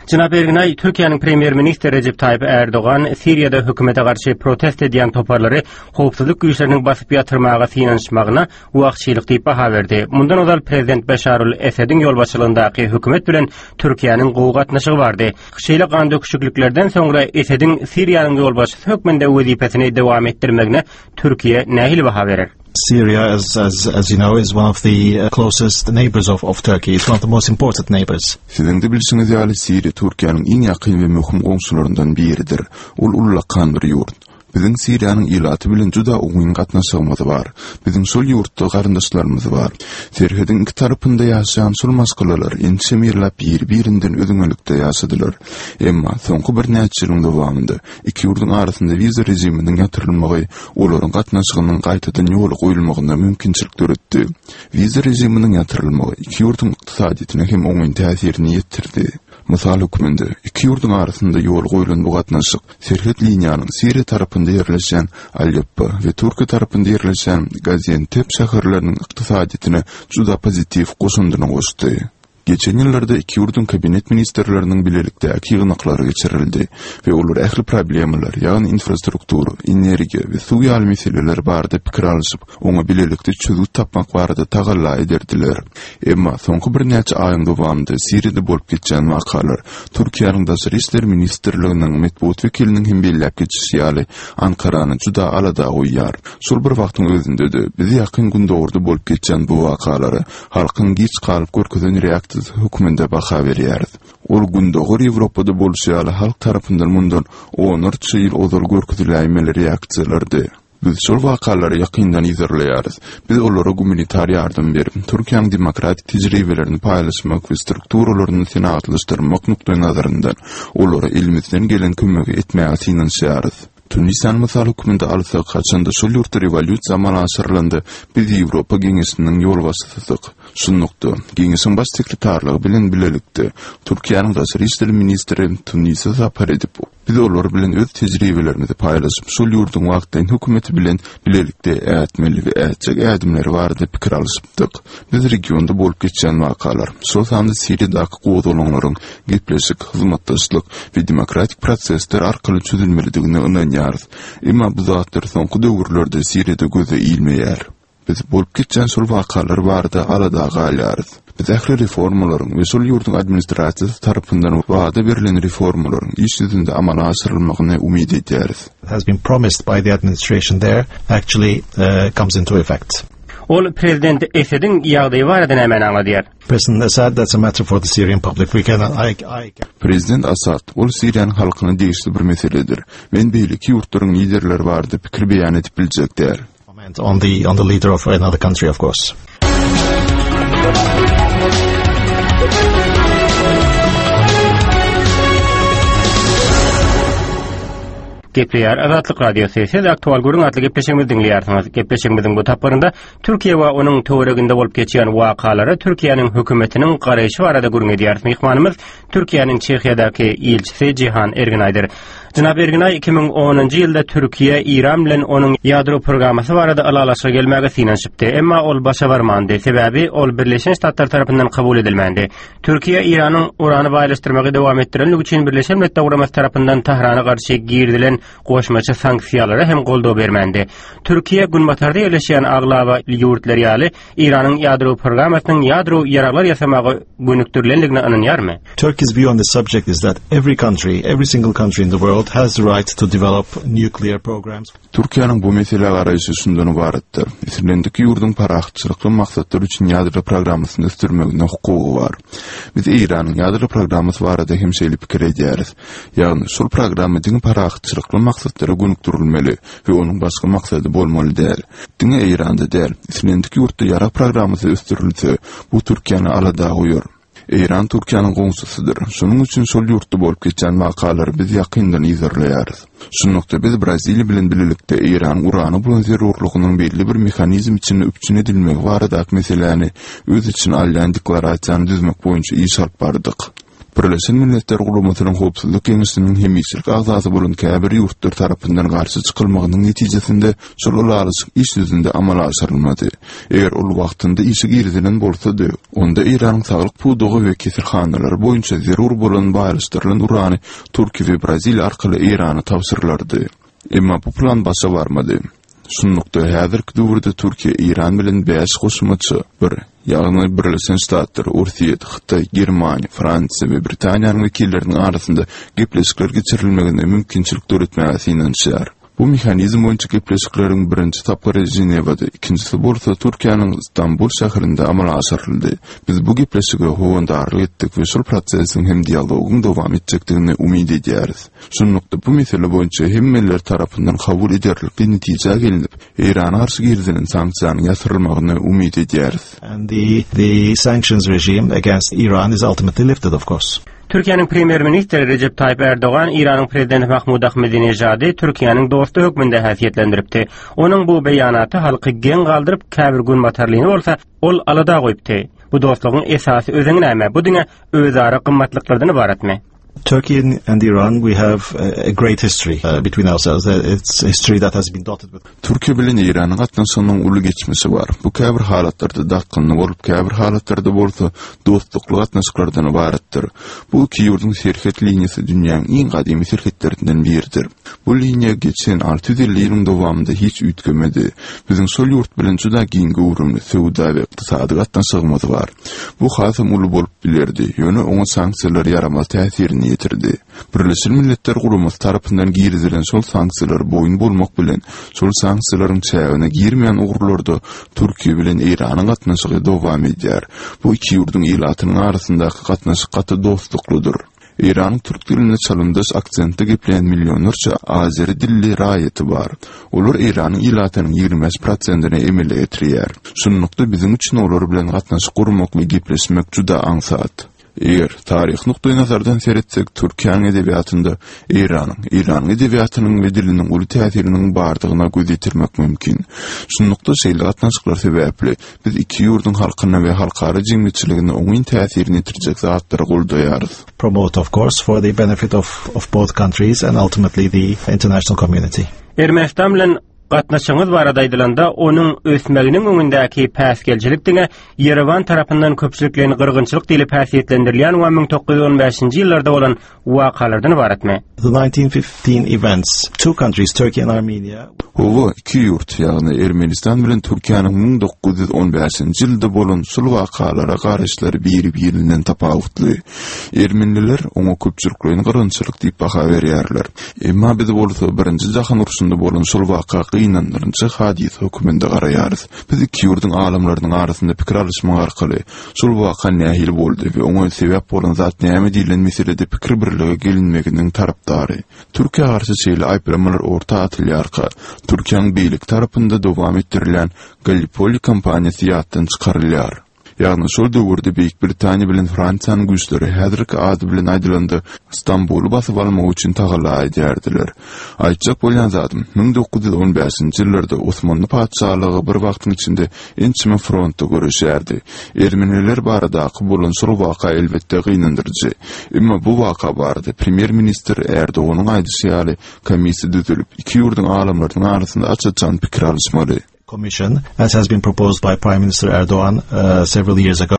Jenap Erginaý, Türkiýäniň premýer-ministri Rejep Taýyp Ärdogan Siriýada hökümete garşy protest edýän toparlary howpsuzlyk güýçleriniň basyp ýatyrmaga synanyşmagyna wagşylyk diýip baha berdi. Mundan ozal prezident Beşarul Esediň ýolbaşçylygyndaky hökümet bilen Türkiýäniň gowy gatnaşygy bardy. Şeýle gandöküşikliklerden soňra Esediň Siriýanyň ýolbaşçysy hökmünde wezipesini dowam etdirmegine Türkiýe nähili baha berer? Syria, as, as, as you know, is one of the uh, closest neighbors of, of Turkey. It's one of the most important neighbors. Siziň-de bilşiňiz ýaly, Siriýa Türkiýäniň iň ýakyn we möhüm goňşularyndan biridir. Ol ullakan bir ýurt. Biziň Siriýanyň ilaty bilen juda oňyn gatnaşygymyz bar. Biziň şol ýurtda garyndaşlarymyz bar. Serhediň iki tarapynda ýaşaýan şol maşgalalar ençeme ýyllap biri-birinden üzňelikde ýaşadylar. Emma soňky birnäçe ýylyň dowamynda iki ýurduň arasynda wiza režiminiň ýatyrylmagy olaryň gatnaşygynyň gaýtadan ýola goýulmagyna mümkinçilik döretdi. Wiza režiminiň ýatyrylmagy iki ýurduň ykdysadyýetine hem oňyn täsirini ýetirdi. Mysal hökmünde, iki ýurduň arasynda ýola goýlan bu gatnaşyk serhet liniýanyň Siriýa tarapynda ýerleşýän Aleppo we Türkiýe tarapynda ýerleşýän Gaziantep şäherleriniň ykdysadyýetine juda pozitiw goşandyny goşdy. Geçen ýyllarda iki ýurduň kabinet ministrleriniň bilelikdäki ýygnaklary geçirildi we olar ähli problemalar, ýagny infrastruktura, energiýa we suw ýaly meseleler barada pikir alyşyp, oňa bilelikde çözgüt tapmak barada tagalla ederdiler. Emma soňky birnäçe aýyň dowamynda Siriýada bolup geçýän wakalar, Türkiýäniň Daşary işler ministrliginiň metbugat wekiliniň hem belläp geçişi ýaly, Ankarany juda alada goýýar. Şol bir wagtyň özünde-de, biz Ýakyn Gündogarda bolup geçýän bu wakalara halkyň giç galyp görkezen reaksiýasy hökmünde baha berýäris. Ol Gündogar Ýewropada bolşy ýaly halk tarapyndan mundan onlarça ýyl ozal görkeziläýmeli reaksiýalardy. Biz şol wakalary ýakyndan yzarlaýarys. Biz olara gumanitar ýardam berip, Türkiýäniň demokratik tejribelerini paýlaşmak we strukturalaryny senagatlaşdyrmak nukdaýnazaryndan olara elimizden gelen kömegi etmäge synanyşýarys. Tunisany mysal hökmünde alsak, haçanda şol ýurtda rewolýusiýa amala aşyrylanda, biz Ýewropa Geňeşiniň ýolbaşçysydyk. Şunlukda, Geňeşiň Baş sekretarlygy bilen bilelikde, Türkiýäniň daşary işler ministri Tunise sapar edip, biz olar bilen öz tejribelerimizi paýlaşyp, şol ýurduň wagtlaýyn hökümeti bilen bilelikde ätmeli we ätjek ädimleri barada pikir alyşypdyk. Biz regionda bolup geçýän wakalar, şol sanda Siriýadaky gozgalaňlaryň gepleşik, hyzmatdaşlyk we demokratik prosesler arkaly çözülmelidigine ynanýarys. Emma bu zatlar soňky döwürlerde Siriýada göze ilmeýär. Biz bolup geçýän şol wakalar barada alada galýarys. Biz ähli reformalaryň we şol ýurduň administrasiýasy tarapyndan wada berlen reformalaryň iş ýüzünde amala aşyrylmagyny umyt edýäris. has been promised by the administration there actually comes into effect. Ol prezident Esediň ýagdaýy barada nämäni aňladýar? President Assad, that's a matter for the Syrian public. We cannot, I, I... Prezident Assad, ol Siriýanyň halkyna degişli bir meseledir. Men beýleki ýurtlaryň liderleri barada pikir beýan edip biljek däl. Comment on the, on the leader of another country, of course. Gepleýär Azatlyk Radiosy. Siz Aktual gürrüň atly gepleşigimizi diňleýärsiňiz. Gepleşigimiziň bu tapgyrynda Türkiýe we onuň töwereginde bolup geçýän wakalara Türkiýäniň hökümetiniň garaýşy barada gürrüň edýäris. Myhmanymyz Türkiýäniň Çehiýadaky ilçisi Jihan Erginaýdyr. Jenap Erginaý 2010-njy ýylda Türkiýe Eýran bilen onuň ýadro programmasy barada ylalaşyga gelmäge synanyşypdy. Emma ol başa barmandy. Sebäbi ol Birleşen Ştatlar tarapyndan kabul edilmändi. Türkiýe Eýranyň urany baýlaşdyrmagy dowam etdirenligi üçin Birleşen Milletler Guramasy tarapyndan Tahrana garşy girizilen goşmaça sanksiýalara hem goldaw bermändi. Türkiýe günbatarda ýerleşýän aglaba ýurtlar ýaly Eýranyň ýadro programmasynyň ýadro ýaraglar ýasamaga gönükdirilendigine ynanýarmy? Turkey's view on the subject is that every country, every single country in the world has the right to develop nuclear programs. Türkiýäniň bu meselä garaýşy şundan ybaratdyr, islendik ýurduň parahatçylykly maksatlar üçin ýadro programmasyny ösdürmegine hukugy bar. Biz Eýranyň ýadro programmasy barada hem şeýle pikir edýäris. Ýagny, şol programma diňe parahatçylykly maksatlara gönükdirilmeli we onuň başga maksady bolmaly däl. Diňe Eýranda däl, islendik ýurtda ýarag programmasy ösdürilse, bu Türkiýäni alada goýar. Eýran Türkiýäniň goňşusydyr. Şonuň üçin şol ýurtda bolup geçýän wakalary biz ýakyndan yzarlaýarys. Şunlukda biz Braziliýa bilen bilelikde Eýranyň urana bolan zerurlygynyň belli bir mehanizm içinde üpjün edilmegi baradaky meseläni öz içine alýan deklarasiýany düzmek boýunça iş alyp bardyk. Birleşen Milletler Guramasynyň Howpsuzlyk Geňeşiniň hemişelik agzasy bolan käbir ýurtlar tarapyndan garşy çykylmagynyň netijesinde şol ylalaşyk iş ýüzünde amala aşyrylmady. Eger ol wagtynda işe girizilen bolsady, onda Eýranyň saglyk pudagy we keselhanalary boýunça zerur bolan baýlaşdyrylan urany Türkiýe we Braziliýa arkaly Eýrana tabşyrylardy. Emma bu plan başa barmady. Şunlukda, häzirki döwürde Türkiýe Eýran bilen bäş goşmaça bir, ýagny Birleşen Ştatlar, Orsýet, Hytaý, Germaniýa, Fransiýa we Britaniýanyň wekilleriniň arasynda gepleşikler geçirilmegine mümkinçilik döretmäge synanyşýar. Bu mehanizm boýunça gepleşikleriň birinji tapgyry Ženewada, ikinjisi bolsa Türkiýäniň Stambul şäherinde amala aşyryldy. Biz bu gepleşige howandarlyk etdik we şol prosesiň hem dialogyň dowam etjekdigine umyt edýäris. Şunlukda, bu mesele boýunça hemmeler tarapyndan kabul ederlikli netijä gelnip, Eýrana garşy girizilen sanksiýanyň ýatyrylmagyny umyt edýäris. And the the sanctions regime against Iran is ultimately lifted, of course. Türkiýäniň Premýer-ministri Rejep Taýyp Ärdogan Eýranyň Prezidenti Mahmud Ahmedinejady Türkiýäniň dosty hökmünde häsiýetlendiripdi. Onuň bu beýanaty halky geň galdyryp, käbir günbatarlyny bolsa ol alada goýupdy. Bu dostlugyň esasy özeni näme? Bu diňe özara gymmatlyklardan ybaratmy? Turkey and Iran we have a great history uh, between ourselves. Uh, it's history that has been dotted with Türkiýe bilen Eýranyň gatnaşygynyň uly geçmişi bar. Bu käbir halatlarda dartgynly bolup, käbir halatlarda bolsa dostlukly gatnaşyklardan ybaratdyr. Bu iki ýurduň serhet liniýasy dünýäň iň gadymy serhetlerinden biridir. Bu liniýa geçen 650 ýylyň dowamynda hiç üýtgemedi. Biziň şol ýurt bilen juda giň göwrümli söwda we ykdysady gatnaşygymyz bar. Bu hasam uly bolup bilerdi, ýöne oňa sanksiýalar ýaramaz täsirini ýetirdi. Birleşen Milletler Guramasy tarapyndan girizilen şol sanksiýalara boýun bolmak bilen, şol sanksiýalaryň çägine girmeýän ugurlarda Türkiýe bilen Eýranyň gatnaşygy dowam edýär. Bu iki ýurduň ilatynyň arasyndaky gatnaşyk gaty dostluklydyr. Eýranyň türk diline çalymdaş aksentde gepleýän millionlarça azeri dilli raýaty bar. Olar Eýranyň ilatynyň 25 prosentini emele getirýär. Şunlukda biziň üçin olar bilen gatnaşyk gurmak we gepleşmek juda aňsat. Eger taryhy nukdaýnazardan seretsek, Türkiýäniň edebiýatynda Eýranyň, Eýranyň edebiýatynyň we diliniň uly täsiriniň bardygyna göz ýetirmek mümkin. Şunlukda şeýle gatnaşyklar sebäpli, biz iki ýurduň halkyna we halkara jemgyýetçiligine oňyn täsirini ýetirjek zatlary goldaýarys. Promote of course for the benefit of of both countries and ultimately the international community. Ermenistan bilen Gatnaşygyňyz barada aýdylanda, onuň ösmeginiň öňündäki päsgelçilik diňe Ýerewan tarapyndan köpçülikleýin gyrgynçylyk diýlip häsiýetlendirilýän we 1915-nji ýyllarda bolan wakalardan ybaratmy? The 1915 events, two countries, Turkey and Armenia. Hawa, iki ýurt, ýagny Ermenistan bilen Türkiýäniň 1915-nji ýylda bolan şul wakalara garaýyşlary biri-birinden tapawutly. Ermeniler oňa köpçülikleýin gyrgynçylyk diýip baha berýärler. Emma biz bolsa Birinji jahan urşunda bolan şol waka gynandyryjy hadysa höküminde garaýarys. Biz iki ýurduň alymlarynyň arasynda pikir alyşmak arkaly şol waka nähili boldy we oňa sebäp bolan zat näme diýlen meselede pikir birlige gelinmeginiň tarapdary. Türkiýä garşy şeýle aýyplamalar orta atylýarka, Türkiýäniň beýleki tarapynda dowam etdirilýän Gallipoli kampaniýasy ýatdan çykarylýar. Ýagny şol döwürde Beýik Britaniýa bilen Fransiýanyň güýçleri häzirki ady bilen aýdylanda Stambuly basyp almak üçin tagalla edýärdiler. Aýtjak bolýan zadym, 1915-nji ýyllarda Osmanly patyşalygy bir wagtyň içinde ençeme frontda göreşýärdi. Ermeniler baradaky bolan şol waka elbetde gynandyryjy. Emma bu waka barada premýer-ministr Erdoganyň aýdyşy ýaly komissiýa düzülip, iki ýurduň alymlarynyň arasynda aç-açan pikir alyşmaly. Commission, as has been proposed by Prime Minister Erdogan uh, several years ago.